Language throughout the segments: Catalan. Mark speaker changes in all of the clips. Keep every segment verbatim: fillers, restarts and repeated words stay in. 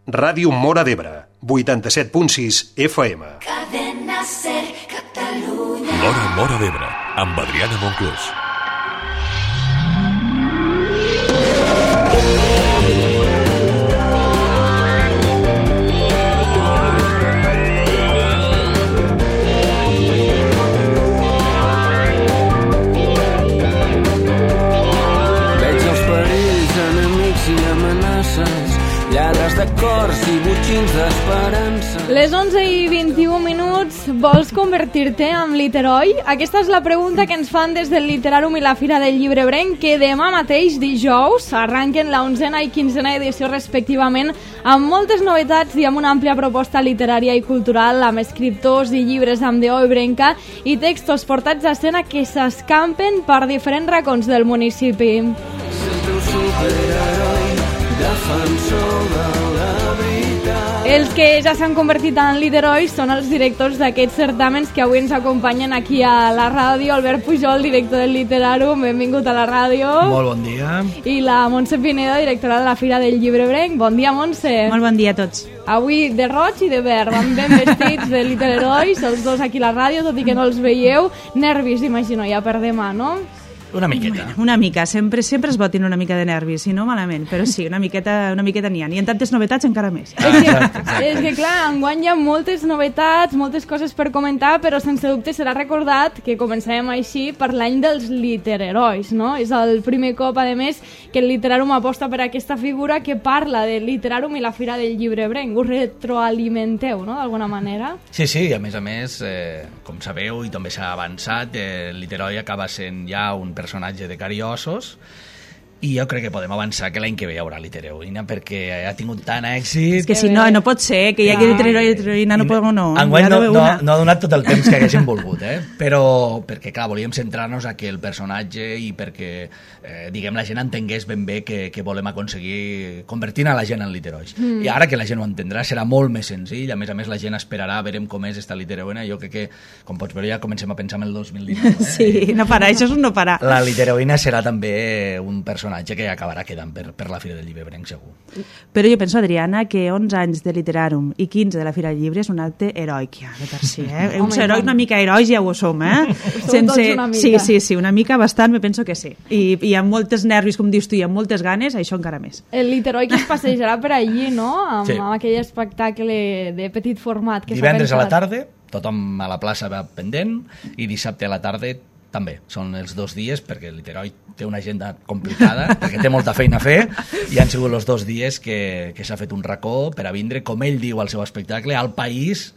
Speaker 1: Ràdio Móra d'Ebre, vuitanta-set punt sis F M.
Speaker 2: Cadena Ser, Catalunya.
Speaker 3: L'Hora Móra d'Ebre, amb Adriana Monclús.
Speaker 4: Lladres de cors i botxins d'esperança.
Speaker 5: Les onze i vint-i-un minuts, vols convertir-te en literoi? Aquesta és la pregunta que ens fan des del Literàrum i la Fira del Llibre Ebrenc, que demà mateix, dijous, arranquen la onzena i quinzena edició respectivament, amb moltes novetats i amb una àmplia proposta literària i cultural, amb escriptors i llibres amb deó ebrenca i textos portats a escena que s'escampen per diferents racons del municipi.
Speaker 4: Sento un superheroi, defensor de la veritat.
Speaker 5: Els que ja s'han convertit en literois són els directors d'aquests certàmens que avui ens acompanyen aquí a la ràdio. Albert Pujol, director del Literàrum, benvingut a la ràdio.
Speaker 6: Molt bon dia.
Speaker 5: I la Montse Pinedo, directora de la Fira del Llibre Ebrenc. Bon dia, Montse.
Speaker 7: Molt bon dia a tots.
Speaker 5: Avui de roig i de verd, van ben vestits de literois, els dos aquí a la ràdio, tot i que no els veieu. Nervis, imagino, ja per demà, no?
Speaker 6: Una miqueta.
Speaker 7: Bueno, una mica, sempre sempre es botin una mica de nervis, si no malament, però sí, una miqueta una miqueta n'hi ha, i en tantes novetats encara més.
Speaker 5: Ah, és, que, és que clar, enguany hi ha moltes novetats, moltes coses per comentar, però sense dubte serà recordat que començarem així per l'any dels litererois, no? És el primer cop, a més, que el Literàrum aposta per aquesta figura que parla del Literàrum i la Fira del Llibre Ebrenc. Us retroalimenteu, no?, d'alguna manera?
Speaker 6: Sí, sí, a més a més, eh, com sabeu, i també s'ha avançat, eh, el literoi acaba sent ja un personatge de carn i ossos, i jo crec que podem avançar que l'any que ve hi haurà literoïna perquè ha tingut tant èxit.
Speaker 7: És que si no, no pot ser que hi hagi literoi i literoïna, no podem, no.
Speaker 6: Enguany no, no, no ha donat tot el temps que haguéssim volgut, eh? Però perquè, clar, volíem centrar-nos a que el personatge i perquè, eh, diguem, la gent entengués ben bé que, que volem aconseguir convertint a la gent en literois. Mm. I ara que la gent ho entendrà serà molt més senzill, a més a més la gent esperarà, veurem com és esta literoïna. Jo crec que, com pots veure, ja comencem a pensar en el dos mil dinou. Eh?
Speaker 7: Sí, no farà, això és un no farà.
Speaker 6: La literoïna serà també un personatge que acabarà quedant per, per la Fira del Llibre Ebrenc, segur.
Speaker 7: Però jo penso, Adriana, que onze anys de Literàrum i quinze de la Fira del Llibre és un acte heroic, ja, de per si, eh? Uns herois una mica herois ja ho som, eh?
Speaker 5: Sense... una mica.
Speaker 7: Sí, sí, sí, una mica bastant, me penso que sí. I, i amb moltes nervis, com dius tu, i amb moltes ganes, això encara més.
Speaker 5: El literoi que es passejarà per allí, no?, amb,
Speaker 6: sí.
Speaker 5: amb aquell espectacle de petit format que s'ha
Speaker 6: Divendres
Speaker 5: pensat.
Speaker 6: a la tarda, tothom a la plaça va pendent, i dissabte a la tarda també. Són els dos dies, perquè el literoi té una agenda complicada, perquè té molta feina a fer, i han sigut els dos dies que, que s'ha fet un racó per a vindre, com ell diu al seu espectacle, al país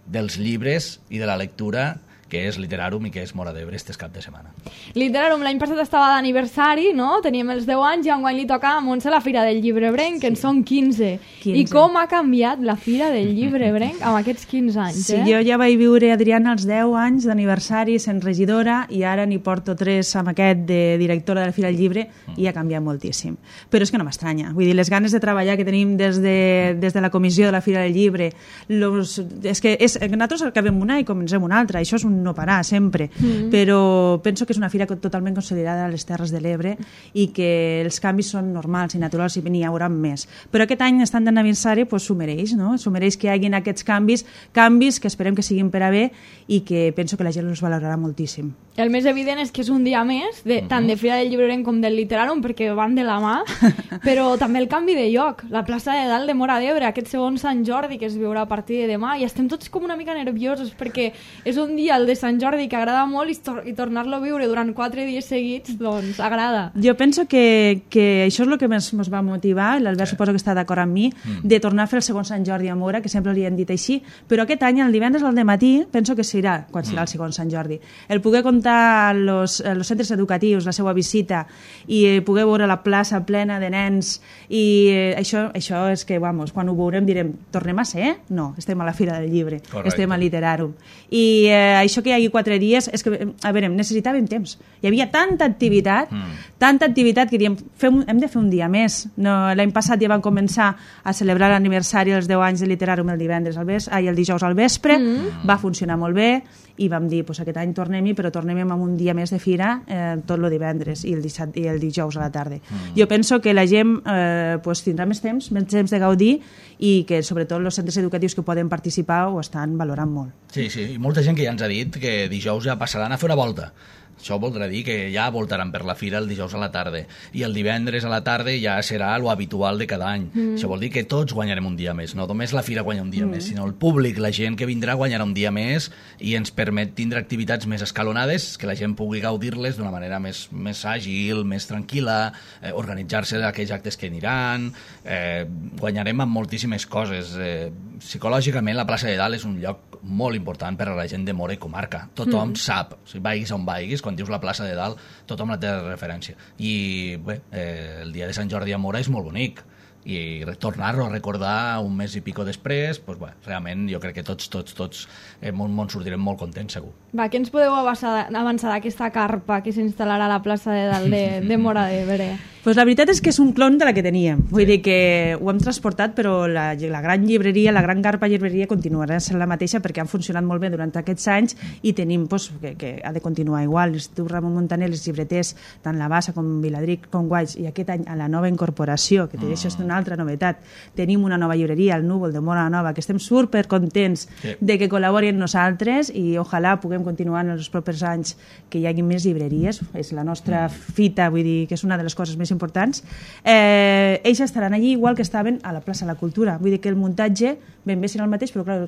Speaker 6: dels llibres i de la lectura, que és Literàrum i que és Móra d'Ebre este cap de setmana.
Speaker 5: Literàrum l'any passat estava d'aniversari, no? Teníem els deu anys i enguany li toca a Montse la Fira del Llibre Ebrenc, que en són quinze.
Speaker 7: quinze.
Speaker 5: I com ha canviat la Fira del Llibre Ebrenc amb aquests quinze anys,
Speaker 7: sí,
Speaker 5: eh?
Speaker 7: Jo ja vaig viure, Adriana, els deu anys d'aniversari sent regidora i ara n'hi porto tres amb aquest de directora de la Fira del Llibre i ha canviat moltíssim. Però és que no m'estranya. Vull dir, les ganes de treballar que tenim des de, des de la comissió de la Fira del Llibre, los, és que és, nosaltres acabem una i comencem una altra, això és un no parar sempre, mm-hmm. però penso que és una fira totalment consolidada a les Terres de l'Ebre i que els canvis són normals i naturals i n'hi haurà més. Però aquest any, estant d'aniversari, pues, s'ho mereix, no? S'ho mereix que hi hagin aquests canvis, canvis que esperem que siguin per a bé i que penso que la gent els valorarà moltíssim.
Speaker 5: El més evident és que és un dia més, de, mm-hmm. tant de Fira del Llibre Ebrenc com del Literàrum, perquè van de la mà, però també el canvi de lloc, la plaça de dalt de Móra d'Ebre, aquest segon Sant Jordi que es viurà a partir de demà, i estem tots com una mica nerviosos perquè és un dia, el de Sant Jordi, que agrada molt i, tor i tornar-lo a viure durant quatre dies seguits, doncs agrada.
Speaker 7: Jo penso que, que això és el que ens va motivar, l'Albert sí. suposo que està d'acord amb mi, mm. de tornar a fer el segon Sant Jordi a Móra, que sempre li han dit així, però aquest any, el divendres al dematí, penso que serà, quan serà el segon Sant Jordi. El poder comptar als centres educatius la seva visita i eh, poder veure la plaça plena de nens i eh, això, això és que, vamos, quan ho veurem direm, tornem a ser? No, estem a la Fira del Llibre,
Speaker 6: correcte.
Speaker 7: Estem a Literàrum. I eh, això això que hi hagi quatre dies, és que, a veure, necessitàvem temps. Hi havia tanta activitat, mm. tanta activitat que diem, fem, hem de fer un dia més. No, l'any passat ja van començar a celebrar l'aniversari dels deu anys de Literàrum el divendres al vespre, ai, el dijous al vespre, mm. va funcionar molt bé, i vam dir, pues, aquest any tornem-hi, però tornem amb un dia més de fira, eh, tot el divendres i el, dissabte, i el dijous a la tarda. Mm. Jo penso que la gent eh, pues, tindrà més temps, més temps de gaudir, i que sobretot els centres educatius que poden participar ho estan valorant molt.
Speaker 6: Sí, sí, i molta gent que ja ens ha dit que dijous ja passaran a fer una volta. Això voldrà dir que ja voltaran per la fira el dijous a la tarda i el divendres a la tarda ja serà lo habitual de cada any. Mm. Això vol dir que tots guanyarem un dia més, no només la fira guanya un dia mm. més, sinó el públic, la gent que vindrà guanyarà un dia més i ens permet tindre activitats més escalonades, que la gent pugui gaudir-les d'una manera més, més àgil, més tranquil·la, eh, organitzar-se d'aquells actes que aniran, eh, guanyarem amb moltíssimes coses. Eh, psicològicament la plaça de Dalt és un lloc molt important per a la gent de Móra i comarca. Tothom mm. sap, si vaiguis on vaiguis, quan dius la plaça de Dalt, tothom la té de referència. I bé, eh, el dia de Sant Jordi a Móra és molt bonic, i tornar-ho a recordar un mes i pico després, doncs, bé, realment jo crec que tots, tots, tots eh, món sortirem molt contents, segur.
Speaker 5: Va, què ens podeu avançar, avançar d'aquesta carpa que s'instal·larà a la plaça de Dalt de, de Móra d'Ebre?
Speaker 7: Pues la veritat és que és un clon de la que teníem. Vull sí. dir que ho hem transportat, però la, la gran llibreria, la gran carpa llibreria continuarà sent la mateixa perquè han funcionat molt bé durant aquests anys i tenim pues, que, que ha de continuar igual. L'Institut Ramon Montaner, els llibreters, tant la Bassa com Viladric, com Guaix, i aquest any a la nova incorporació, que mm. això és una altra novetat. Tenim una nova llibreria, el Núvol de Móra Nova, que estem supercontents sí. de que col·laborin nosaltres i ojalà puguem continuar en els propers anys que hi hagi més llibreries. És la nostra mm. fita, vull dir que és una de les coses més importants. Eh, ells estaran allí igual que estaven a la plaça de la Cultura. Vull dir que el muntatge ben bé serà el mateix, però clar,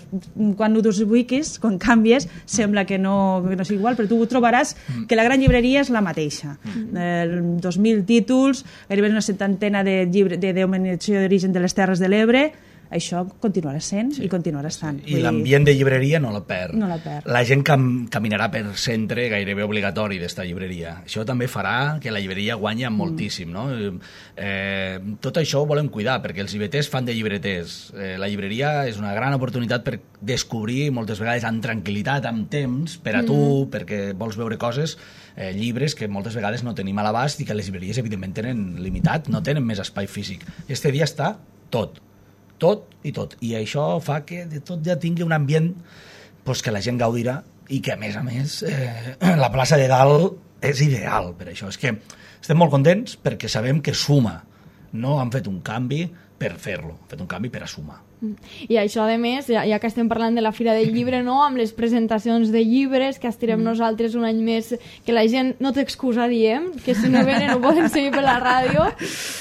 Speaker 7: quan ho ubiquis, quan canvies, sembla que no, que no és igual, però tu trobaràs mm. que la gran llibreria és la mateixa. Mm. Eh, dos mil títols, gairebé una setantena de llibre de denominació d'origen de les Terres de l'Ebre. Això continuarà sent sí. i continuarà estant.
Speaker 6: I l'ambient de llibreria no la perd.
Speaker 7: No la perd.
Speaker 6: La gent cam caminarà per centre gairebé obligatori d'esta llibreria. Això també farà que la llibreria guanyi moltíssim. No? Eh, tot això ho volem cuidar, perquè els llibreters fan de llibreters. Eh, la llibreria és una gran oportunitat per descobrir, moltes vegades amb tranquil·litat, amb temps, per a tu, mm. perquè vols veure coses, eh, llibres que moltes vegades no tenim a l'abast i que les llibreries, evidentment, tenen limitat, no tenen més espai físic. I este dia està tot. tot i tot, i això fa que de tot ja tingui un ambient pues, que la gent gaudirà i que a més a més eh, la plaça de Dalt és ideal per això, és que estem molt contents perquè sabem que suma, no han fet un canvi per fer-lo, han fet un canvi per a sumar.
Speaker 5: I això, a més, ja, ja que estem parlant de la Fira del Llibre, no? Amb les presentacions de llibres que estirem mm. nosaltres un any més, que la gent no té excusa, diem, que si no venen ho poden seguir per la ràdio,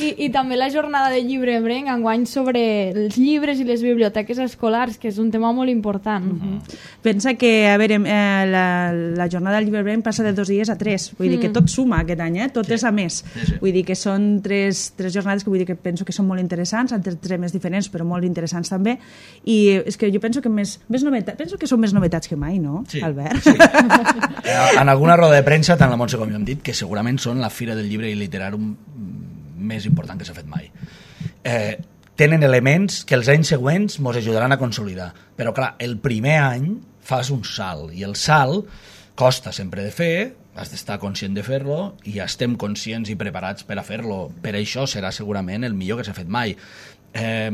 Speaker 5: i, i també la jornada de llibre Brenc, enguany sobre els llibres i les biblioteques escolars, que és un tema molt important. Mm -hmm.
Speaker 7: Pensa que, a veure, eh, la, la jornada del llibre Brenc passa de dos dies a tres, vull mm. dir que tot suma aquest any, eh? tot sí. és a més. Sí, sí. Vull dir que són tres, tres jornades que vull dir que penso que són molt interessants, entre temes diferents, però molt interessants també, i és que jo penso que més, més novetats, penso que són més novetats que mai, no,
Speaker 6: sí,
Speaker 7: Albert?
Speaker 6: Sí. En alguna roda de premsa, tant la Montse com jo hem dit que segurament són la Fira del Llibre i Literàrum més important que s'ha fet mai. Eh, tenen elements que els anys següents ens ajudaran a consolidar, però clar, el primer any fas un salt, i el salt costa sempre de fer, has d'estar conscient de fer-lo, i estem conscients i preparats per a fer-lo. Per això serà segurament el millor que s'ha fet mai. Eh,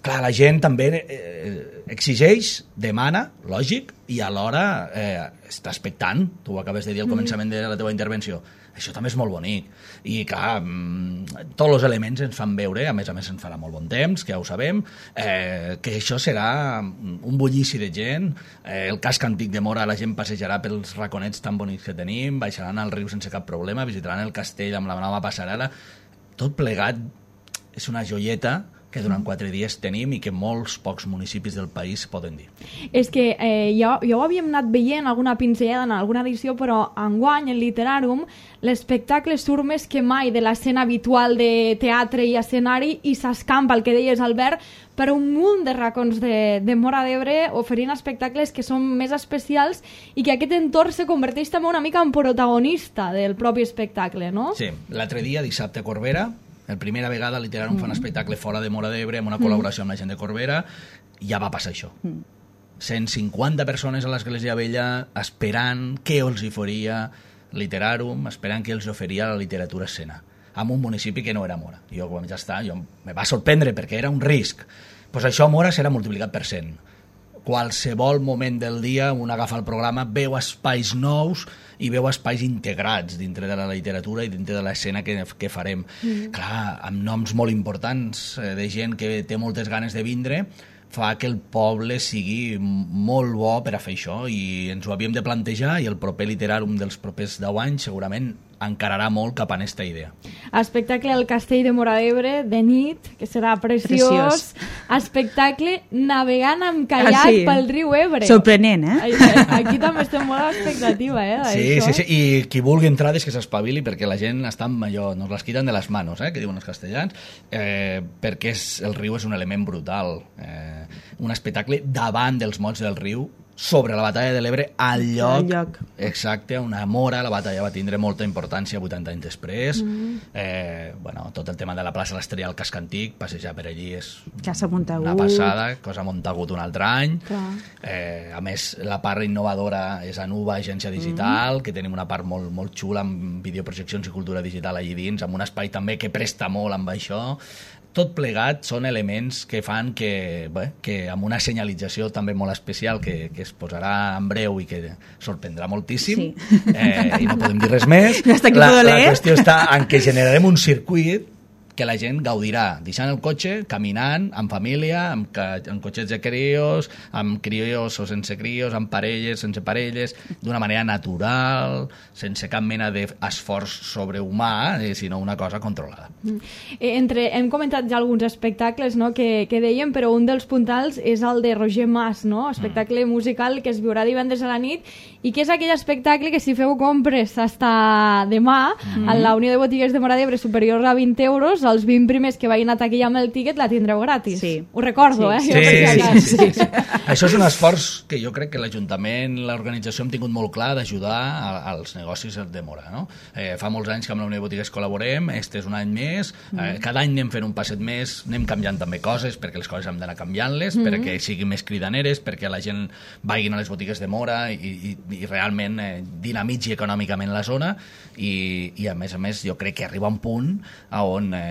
Speaker 6: Clar, la gent també eh, exigeix, demana, lògic, i alhora eh, està expectant. Tu ho acabes de dir al començament de la teva intervenció. Això també és molt bonic. I, clar, mm, tots els elements ens fan veure, a més a més ens farà molt bon temps, que ja ho sabem, eh, que això serà un bullici de gent. Eh, el casc antic de Móra, la gent passejarà pels raconets tan bonics que tenim, baixaran al riu sense cap problema, visitaran el castell amb la nova passarel·la. Tot plegat és una joieta que durant quatre dies tenim i que molts pocs municipis del país poden dir.
Speaker 5: És que eh, ja, ja ho havíem anat veient alguna pinzellada en alguna edició, però enguany, en Literàrum, l'espectacle surt més que mai de l'escena habitual de teatre i escenari i s'escampa, el que deies, Albert, per un munt de racons de, de Móra d'Ebre, oferint espectacles que són més especials i que aquest entorn se converteix també una mica en protagonista del propi espectacle, no?
Speaker 6: Sí, l'altre dia, dissabte a Corbera, per primera vegada a Literàrum mm. fa un espectacle fora de Móra d'Ebre amb una col·laboració mm. amb la gent de Corbera, i ja va passar això. Mm. cent cinquanta persones a l'Església Vella esperant què els hi faria Literarum, esperant què els oferia la literatura escena, en un municipi que no era Mora. Jo, quan ja està, jo me va sorprendre perquè era un risc. Pues això a Mora serà multiplicat per cent. Qualsevol moment del dia un agafa el programa, veu espais nous i veu espais integrats dintre de la literatura i dintre de l'escena que, que farem. Mm. Clar, amb noms molt importants, eh, de gent que té moltes ganes de vindre, fa que el poble sigui molt bo per a fer això, i ens ho havíem de plantejar, i el proper Literàrum dels propers deu anys segurament encararà molt cap a aquesta idea.
Speaker 5: Espectacle al Castell de Móra d'Ebre de nit, que serà preciós. preciós. Espectacle navegant amb caiac ah, sí. pel riu Ebre.
Speaker 7: Sorprenent, eh?
Speaker 5: Aquí també estem molt a l'expectativa, eh?
Speaker 6: Sí, sí, sí, i qui vulgui entrar és que s'espavili, perquè la gent està amb allò, nos les quiten de les manos, eh? Que diuen els castellans, eh, perquè és, el riu és un element brutal. Eh, un espectacle davant dels mots del riu, sobre la batalla de l'Ebre, al lloc,
Speaker 7: lloc
Speaker 6: exacte, on a Mora la batalla va tindre molta importància vuitanta anys després. Mm. Eh, bueno, tot el tema de la plaça l'Estrella al casc antic, passejar per allí és
Speaker 7: Casa Montagut.
Speaker 6: Una passada, cosa Montagut un altre any. Eh, a més, la part innovadora és Anuba, agència digital, mm. que tenim una part molt, molt xula amb videoprojeccions i cultura digital allí dins, amb un espai també que presta molt amb això. Tot plegat són elements que fan que, bé, que amb una senyalització també molt especial que, que es posarà en breu i que sorprendrà moltíssim, sí. eh, i no podem dir res més. La, la qüestió està en què generarem un circuit que la gent gaudirà deixant el cotxe, caminant, amb família, amb, ca amb cotxets de crios, amb crios o sense crios, amb parelles, sense parelles, d'una manera natural, sense cap mena d'esforç sobrehumà, eh, sinó una cosa controlada.
Speaker 5: Mm. Entre, hem comentat ja alguns espectacles, no?, que, que dèiem, però un dels puntals és el de Roger Mas, no?, espectacle mm. musical que es viurà divendres a la nit i que és aquell espectacle que si feu compres fins demà mm. a la Unió de Botiguers de Móra d'Ebre superior a vint euros, els vint primers que vagin a taquilla amb el tíquet la tindreu gratis. Sí. Ho recordo,
Speaker 7: sí.
Speaker 5: eh?
Speaker 6: Sí, sí, sí, sí, sí. Això és un esforç que jo crec que l'Ajuntament, l'organització hem tingut molt clar d'ajudar als negocis de Mora, no? Eh, fa molts anys que amb la Unió de Botiguers col·laborem, este és un any més, eh, cada any anem fent un passet més, anem canviant també coses, perquè les coses hem d'anar canviant-les, mm -hmm. perquè siguin més cridaneres, perquè la gent vagin a les botigues de Mora i, i, i realment eh, dinamitzi econòmicament la zona, i, i a més a més jo crec que arriba un punt a on eh,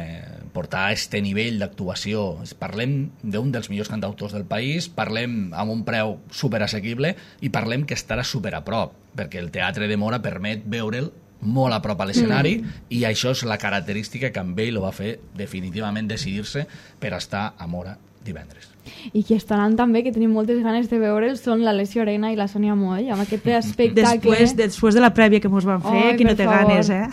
Speaker 6: portar a este nivell d'actuació. Parlem d'un dels millors cantautors del país, parlem amb un preu superassequible i parlem que estarà super a prop, perquè el Teatre de Mora permet veure'l molt a prop a l'escenari, mm. i això és la característica que amb ell lo va fer definitivament decidir-se per estar a Mora divendres.
Speaker 5: I qui estaran també, que tenim moltes ganes de veure'ls, són l'Alessia Orena i la Sònia Moll, amb aquest espectacle.
Speaker 7: Després, després de la prèvia que mos van fer, oh, qui no té favor. ganes, eh?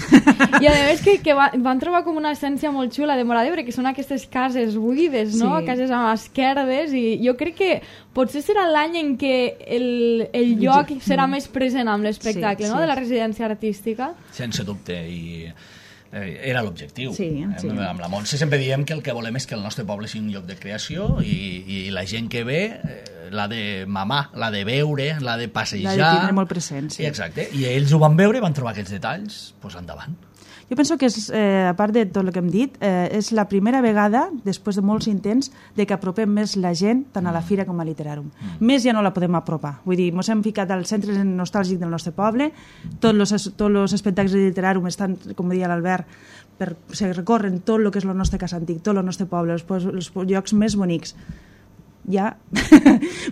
Speaker 5: I a més que, que va, van trobar com una essència molt xula de Móra d'Ebre, que són aquestes cases buides, no? Sí. Cases amb esquerdes, i jo crec que potser serà l'any en què el, el lloc serà més present amb l'espectacle, sí, no? Sí. De la residència artística.
Speaker 6: Sense dubte, i Eh, era l'objectiu.
Speaker 7: Sí, sí.
Speaker 6: Eh, amb la Montse sempre diem que el que volem és que el nostre poble sigui un lloc de creació, i, i la gent que ve eh, l'ha de mamar, l'ha de veure, l'ha de passejar.
Speaker 7: L'ha de tindre molt present, sí.
Speaker 6: I exacte. I ells ho van veure, van trobar aquests detalls, doncs endavant.
Speaker 7: Jo penso que, és, eh, a part de tot el que hem dit, eh, és la primera vegada, després de molts intents, de que apropem més la gent tant a la fira com a Literàrum. Mm. Més ja no la podem apropar. Vull dir, ens hem ficat al centre nostàlgic del nostre poble, tots els tots espectacles de Literàrum estan, com deia l'Albert, per, se recorren tot el que és el nostre cas antic, tot el nostre poble, els, els llocs més bonics. Ja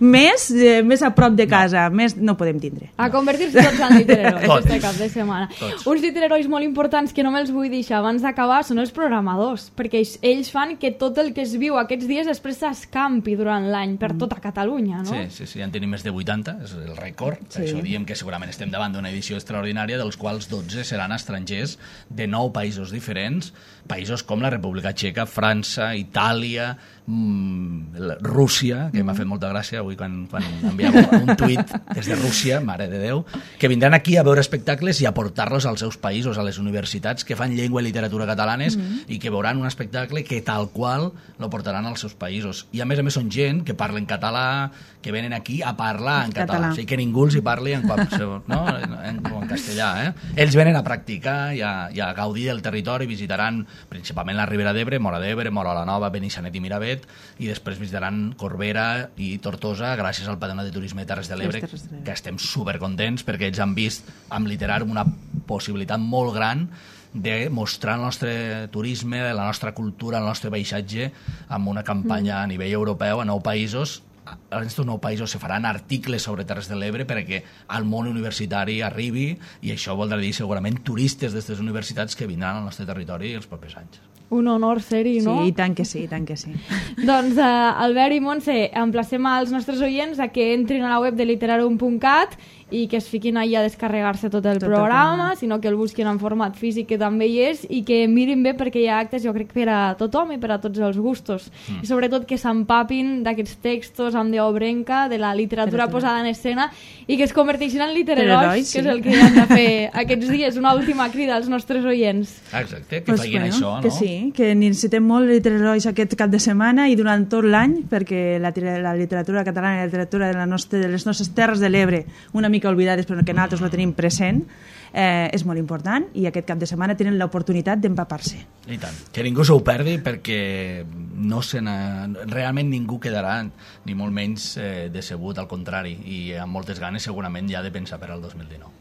Speaker 7: més, eh, més a prop de casa, no. més no podem tindre.
Speaker 5: A convertir-se tots en literarois aquest cap de setmana. Tots. Uns literarois molt importants que no me'ls vull deixar abans d'acabar són els programadors, perquè ells, ells fan que tot el que es viu aquests dies després s'escampi durant l'any per tota Catalunya, no?
Speaker 6: Sí, sí, sí, ja en tenim més de vuitanta, és el rècord. Sí. Això diem que segurament estem davant d'una edició extraordinària, dels quals dotze seran estrangers de nou països diferents, països com la República Txeca, França, Itàlia, mmm, Rússia, que mm. m'ha fet molta gràcia avui quan, quan enviava un tuit des de Rússia, mare de Déu, que vindran aquí a veure espectacles i a portar-los als seus països, a les universitats que fan llengua i literatura catalanes, mm. i que veuran un espectacle que tal qual lo portaran als seus països. I a més a més són gent que parlen català, que venen aquí a parlar en català, català. O sigui que ningú els hi parli en, qualsevol, no? en, en castellà. Eh? Ells venen a practicar i a, i a gaudir del territori, visitaran principalment la Ribera d'Ebre, Móra d'Ebre, Móra la Nova, Benissanet i Miravet, i després visitaran Cornellà Corbera i Tortosa gràcies al Patronat de Turisme de Terres de l'Ebre, que estem supercontents perquè ells han vist amb Literàrum una possibilitat molt gran de mostrar el nostre turisme, la nostra cultura, el nostre paisatge amb una campanya a nivell europeu a nou països. En aquests nou països se faran articles sobre Terres de l'Ebre perquè al món universitari arribi, i això voldrà dir segurament turistes d'aquestes universitats que vindran al nostre territori els propers anys.
Speaker 5: Un honor ser-hi, no?
Speaker 7: Sí, i tant que sí, i tant que sí.
Speaker 5: Doncs, uh, Albert i Montse, emplacem als nostres oients a que entrin a la web de literarum punt cat i que es fiquin allà a descarregar-se tot el tot programa, el sinó que el busquin en format físic, que també hi és, i que mirin bé perquè hi ha actes, jo crec, per a tothom i per a tots els gustos. Mm. I sobretot que s'empapin d'aquests textos amb deobrenca, de la literatura posada en escena, i que es converteixin en litererois, sí, que és el que han de fer aquests dies. Una última crida als nostres oients.
Speaker 6: Exacte, que
Speaker 7: pues
Speaker 6: facin
Speaker 7: bueno,
Speaker 6: això, no?
Speaker 7: Que sí, que necessitem molt litererois aquest cap de setmana i durant tot l'any, perquè la, la literatura catalana i la literatura de, la nostra, de les nostres terres de l'Ebre, una mica oblidades però que nosaltres lo tenim present, eh, és molt important, i aquest cap de setmana tenen l'oportunitat d'empapar-se.
Speaker 6: I tant, que ningú s'ho perdi perquè no se realment ningú quedarà ni molt menys eh, decebut, al contrari, i amb moltes ganes segurament ja de pensar per al dos mil dinou.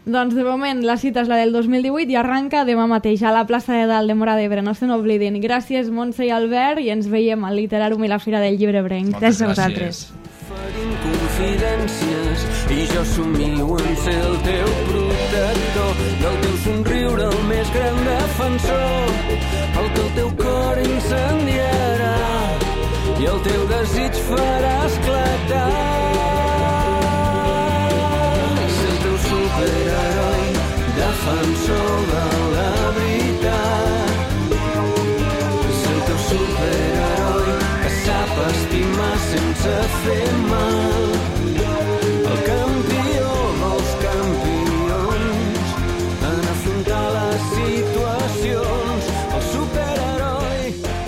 Speaker 5: Doncs de moment la cita és la del dos mil divuit i arranca demà mateix a la plaça de Dalt de Móra d'Ebre, no se n'oblidin. Gràcies Montse i Albert, i ens veiem al Literàrum i la Fira del Llibre Brenc.
Speaker 7: Gràcies a vosaltres.
Speaker 4: Oferint confidències i jo somio en ser el teu protector, del teu somriure el més gran defensor, el que el teu cor incendiarà i el teu desig farà esclatar. Ser el teu superheroi, defensor de la veritat. Ser el teu superheroi que sap estimar sense fer mal, el campió dels campions en afrontar les situacions, el superheroi,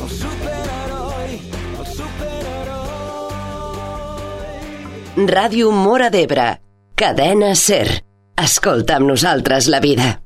Speaker 4: el superheroi, el superheroi.
Speaker 8: Ràdio Móra d'Ebre, cadena SER. Escolta amb nosaltres la vida.